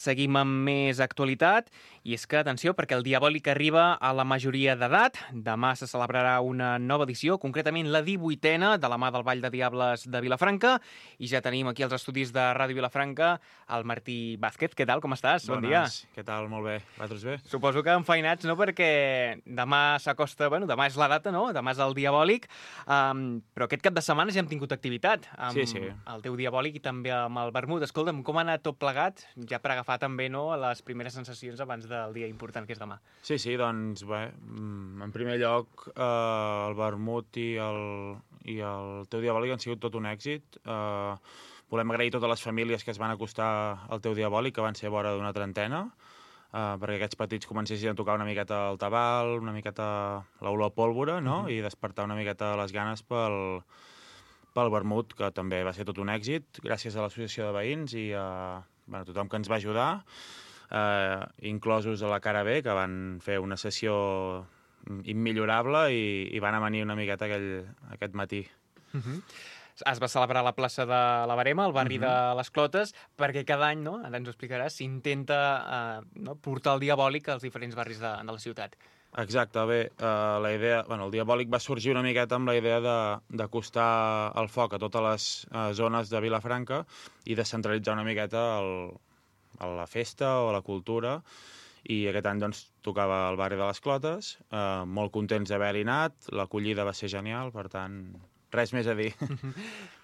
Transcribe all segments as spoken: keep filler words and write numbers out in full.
Seguim amb més actualitat, i és que, atenció, perquè el Diabòlic arriba a la majoria d'edat. Demà se celebrarà una nova edició, concretament la divuitena, de la mà del Ball de Diables de Vilafranca, i ja tenim aquí als estudis de Ràdio Vilafranca el Martí Vázquez. Què tal, com estàs? Bones. Bon dia. Què tal? Molt bé. Vosaltres bé? Suposo que enfeinats, no?, perquè demà s'acosta, bueno, demà és la data, no?, demà és el Diabòlic, um, però aquest cap de setmana ja hem tingut activitat amb Sí, sí. el teu Diabòlic i també amb el vermut. Escolta'm, com ha anat tot plegat, ja per agafar també, no, les primeres sensacions abans del dia important que és demà? Sí, sí, doncs bé, en primer lloc eh, el vermut i el, i el teu Diabòlic han sigut tot un èxit. Eh, volem agrair a totes les famílies que es van acostar al teu Diabòlic, que van ser vora d'una trentena, eh, perquè aquests petits comencessin a tocar una miqueta el tabal, una miqueta l'olor a pólvora, no? Uh-huh. I despertar una miqueta les ganes pel, pel vermut, que també va ser tot un èxit, gràcies a l'associació de veïns i a bueno, tothom que ens va ajudar, eh, inclosos a la cara B, que van fer una sessió immillorable i, i van amanir una miqueta aquell, aquest matí. Uh-huh. Es va celebrar a la plaça de la Verema, al barri uh-huh. de les Clotes, perquè cada any, no?, ara ens ho explicaràs, s'intenta eh, no, portar el Diabòlic als diferents barris de, de la ciutat. Exacte, bé, uh, la idea, bueno, el Diabòlic va sorgir una miqueta amb la idea d'acostar el foc a totes les uh, zones de Vilafranca i descentralitzar una miqueta el, la festa o la cultura, i aquest any doncs tocava al barri de les Clotes, uh, molt contents d'haver-hi anat, l'acollida va ser genial, per tant, res més a dir.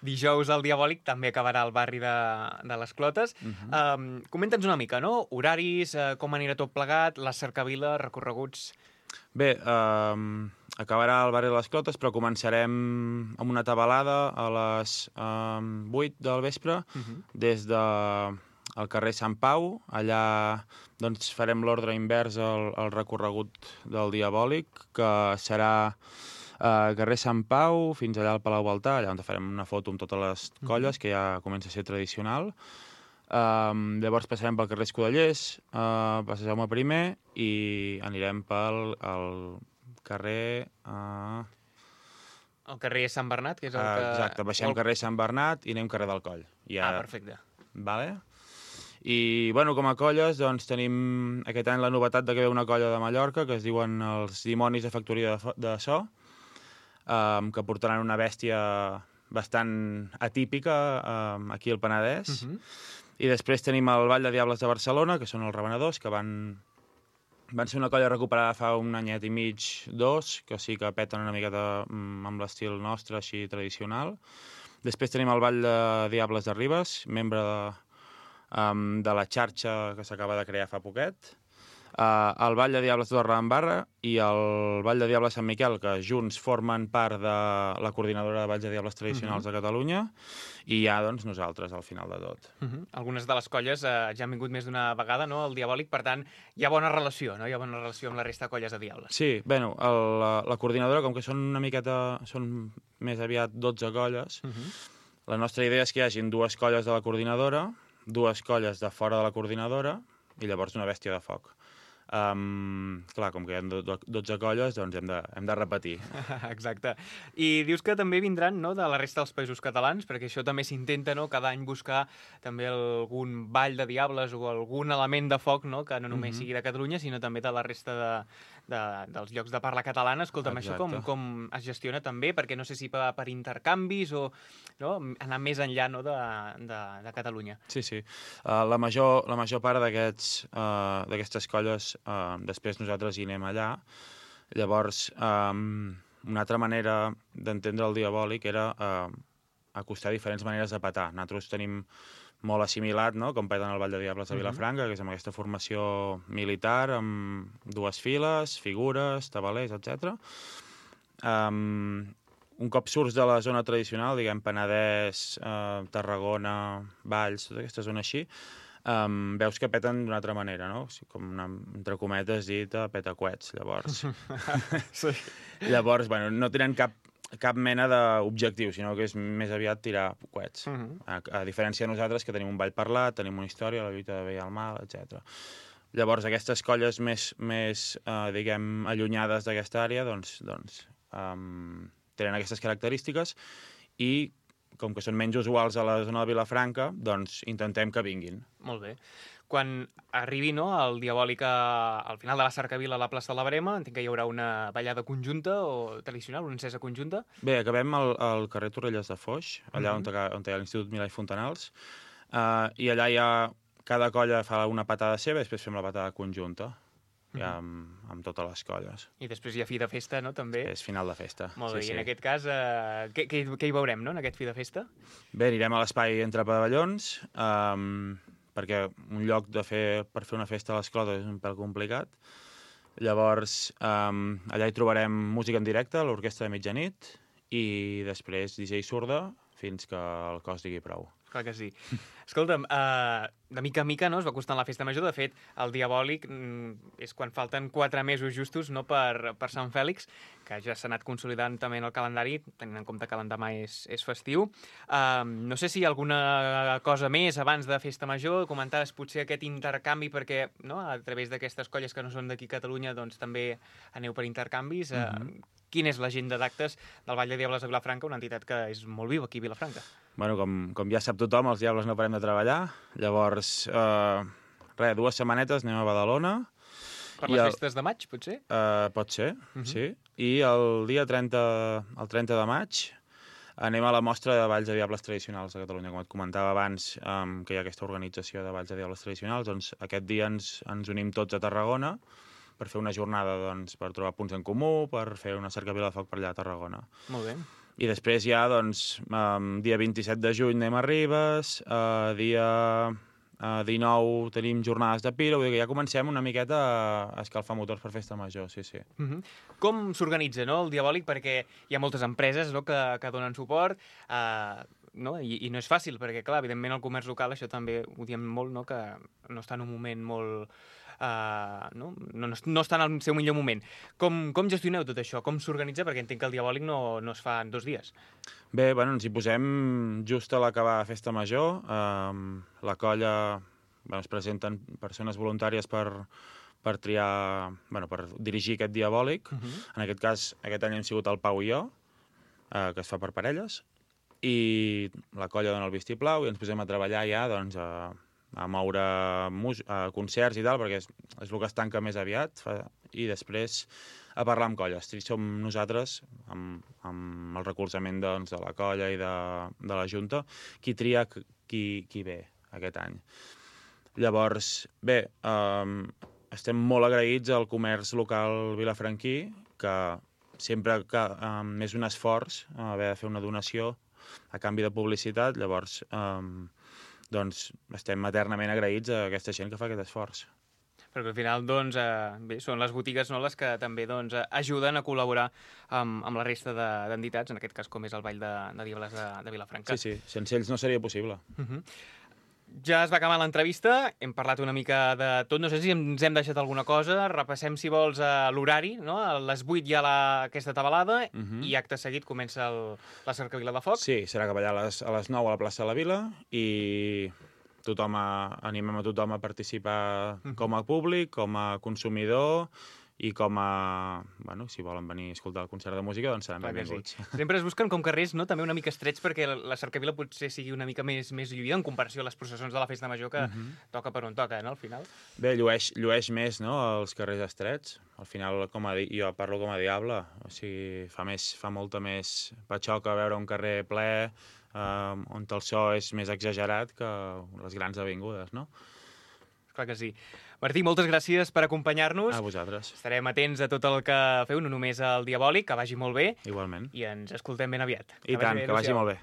Dijous el Diabòlic també acabarà al barri de, de les Clotes. Uh-huh. um, Comenta'ns una mica, no?, horaris, uh, com anirà tot plegat, la cercavila, recorreguts... Bé, eh, acabarà al barri de les Clotes, però començarem amb una tabalada a les eh, vuit del vespre, uh-huh. des de el carrer Sant Pau. Allà doncs, farem l'ordre invers al, al recorregut del Diabòlic, que serà eh, carrer Sant Pau fins allà al Palau Baltà, allà on farem una foto amb totes les colles, uh-huh. que ja comença a ser tradicional. Um, llavors passarem pel carrer Escudellers, uh, passarem a primer i anirem pel el carrer... Uh... El carrer Sant Bernat, que és el uh, que... Exacte, baixem el... carrer Sant Bernat i anem carrer del Coll. Ja... Ah, perfecte. Vale. I, bueno, com a colles, doncs tenim aquest any la novetat de que ve una colla de Mallorca, que es diuen els Dimonis de Factoria de, de So, um, que portaran una bèstia bastant atípica um, aquí al Penedès. Uh-huh. I després tenim el Ball de Diables de Barcelona, que són els revenedors, que van, van ser una colla recuperada fa un anyet i mig, dos, que sí que peten una miqueta amb l'estil nostre, així tradicional. Després tenim el Ball de Diables de Ribes, membre de, um, de la xarxa que s'acaba de crear fa poquet. Uh, el Ball de Diables de Torredembarra i el Ball de Diables Sant Miquel, que junts formen part de la coordinadora de Balls de Diables Tradicionals uh-huh. de Catalunya, i ja, doncs, nosaltres, al final de tot. Uh-huh. Algunes de les colles uh, ja han vingut més d'una vegada, no?, al Diabòlic, per tant, hi ha bona relació, no?, hi ha bona relació amb la resta de colles de Diables. Sí, bueno, el, la, la coordinadora, com que són una miqueta, són més aviat dotze colles, uh-huh. la nostra idea és que hi hagin dues colles de la coordinadora, dues colles de fora de la coordinadora, i llavors una bèstia de foc. Um, clar, com que hi ha dotze colles, doncs hem de, hem de repetir. Exacte. I dius que també vindran, no?, de la resta dels països catalans, perquè això també s'intenta, no?, cada any buscar també algun ball de diables o algun element de foc, no?, que no només mm-hmm. sigui de Catalunya, sinó també de la resta de, de, dels llocs de parla catalana. Escolta'm, Exacte. Això com, com es gestiona també? Perquè no sé si per, per intercanvis o no? Anar més enllà, no?, de, de, de Catalunya. Sí, sí. Uh, la, major, la major part d'aquests uh, d'aquestes colles Uh, després nosaltres hi anem allà. Llavors, um, una altra manera d'entendre el Diabòlic era uh, acostar diferents maneres de petar. Nosaltres tenim molt assimilat, no?, com peten el Ball de Diables de Vilafranca, uh-huh. que és amb aquesta formació militar, amb dues files, figures, tabalers, etcètera. Um, un cop surts de la zona tradicional, diguem, Penedès, uh, Tarragona, Valls, tota aquesta zona així, Um, veus que peten d'una altra manera, no? Com una, entre cometes dit, peta coets, llavors. Sí. Llavors, bueno, no tenen cap, cap mena d'objectiu, sinó que és més aviat tirar coets. Uh-huh. a, a diferència de nosaltres, que tenim un ball parlat, tenim una història, la lluita de bé i el mal, etcètera. Llavors, aquestes colles més, més uh, diguem, allunyades d'aquesta àrea, doncs, doncs um, tenen aquestes característiques i com que són menys usuals a la zona de Vilafranca, doncs intentem que vinguin. Molt bé. quan arribi, no, el Diabòlic a, al final de la cercavila a la plaça de la Verema, entenc que hi haurà una ballada conjunta o tradicional, una encesa conjunta. Bé, acabem al, al carrer Torrelles de Foix, allà Mhm. on, on hi ha l'Institut Milà i Fontanals, uh, i allà hi ha... Cada colla fa una patada seva i després fem la patada conjunta, ja amb, amb totes les colles. I després hi ha fi de festa, no?, també. És final de festa. Molt bé, sí, i en sí. aquest cas, eh, què, què, què hi veurem, no?, en aquest fi de festa? Bé, anirem a l'espai entre pavellons, um, perquè un lloc de fer, per fer una festa a les clotes és un pèl complicat. Llavors, um, allà hi trobarem música en directe, l'orquestra de mitjanit, i després D J sorda fins que el cos digui prou. Clar que sí. Escolta'm, uh, de mica en mica, no, es va costant la festa major. De fet, el Diabòlic mm, és quan falten quatre mesos justos, no, per, per Sant Fèlix, que ja s'ha anat consolidant també en el calendari, tenint en compte que l'endemà és, és festiu. Uh, no sé si hi ha alguna cosa més abans de festa major. Comentaves potser aquest intercanvi, perquè, no, a través d'aquestes colles que no són d'aquí a Catalunya, doncs també aneu per intercanvis. Uh, mm-hmm. Quina és l'agenda d'actes del Ball de Diables de Vilafranca, una entitat que és molt viva aquí a Vilafranca? Bueno, com, com ja sap tothom, els Diables no parem de treballar. Llavors, eh, res, dues setmanetes anem a Badalona. Per les el... festes de maig, potser? Eh, pot ser, uh-huh. sí. I el dia trenta, el trenta de maig anem a la mostra de Balls de Diables tradicionals de Catalunya. Com et comentava abans, um, que hi ha aquesta organització de Balls de Diables tradicionals, doncs aquest dia ens, ens unim tots a Tarragona per fer una jornada, doncs, per trobar punts en comú, per fer una cercavila de foc per allà a Tarragona. Molt bé. I després ja, doncs, um, dia vint-i-set de juny anem a Ribes, uh, dia uh, dinou tenim jornades de pira, vull dir que ja comencem una miqueta a escalfar motors per festa major, sí, sí. Uh-huh. Com s'organitza, no, el Diabòlic? Perquè hi ha moltes empreses, no, que, que donen suport, uh, no? I, i no és fàcil, perquè, clar, evidentment el comerç local, això també ho diem molt, no, que no està en un moment molt... Uh, no? No, no està en el seu millor moment. Com, com gestioneu tot això? Com s'organitza? Perquè entenc que el Diabòlic no, no es fa en dos dies. Bé, bueno, ens hi posem just a l'acabar Festa Major. Um, la colla, bueno, es presenten persones voluntàries per, per triar, bueno, per dirigir aquest Diabòlic. Uh-huh. En aquest cas, aquest any hem sigut el Pau i jo, uh, que es fa per parelles, i la colla dona el vistiplau i ens posem a treballar ja, doncs, a... a moure mus a concerts i tal, perquè és, és el que es tanca més aviat, fa, i després a parlar amb colles. Som nosaltres, amb, amb el recolzament, doncs, de la colla i de, de la Junta, qui tria qui, qui ve aquest any. Llavors, bé, um, estem molt agraïts al comerç local vilafranquí, que sempre que um, és un esforç uh, haver de fer una donació a canvi de publicitat, llavors... Um, doncs estem eternament agraïts a aquesta gent que fa aquest esforç. Perquè al final, doncs, eh, bé, són les botigues, no, les que també, doncs, ajuden a col·laborar amb, amb la resta d'entitats, en aquest cas com és el Ball de, de Diables de, de Vilafranca. Sí, sí, sense ells no seria possible. Uh-huh. Ja es va acabar l'entrevista, hem parlat una mica de tot, no sé si ens hem deixat alguna cosa, repassem, si vols, l'horari, no? A les vuit hi ha la, aquesta tabalada, uh-huh. i acte seguit comença el, la cercavila de foc. Sí, serà cap allà a les, a les nou a la plaça de la Vila, i tothom a, animem a tothom a participar uh-huh. com a públic, com a consumidor, i com a... Bueno, si volen venir a escoltar el concert de música, doncs seran benvinguts. Sí. Sempre es busquen com carrers, no?, també una mica estrets perquè la cercavila potser sigui una mica més, més lluïda en comparació a les processons de la Festa Major, que uh-huh. toca per on toca, no?, al final. Bé, llueix, llueix més, no?, els carrers estrets. Al final, com a di... jo parlo com a diable, o sigui, fa, més, fa molta més patxoca veure un carrer ple, eh, on el so és més exagerat que les grans avingudes, no? Clar que sí. Martí, moltes gràcies per acompanyar-nos. A vosaltres. Estarem atents a tot el que feu, no només al Diabòlic, que vagi molt bé. Igualment. I ens escoltem ben aviat. I tant, que vagi molt bé.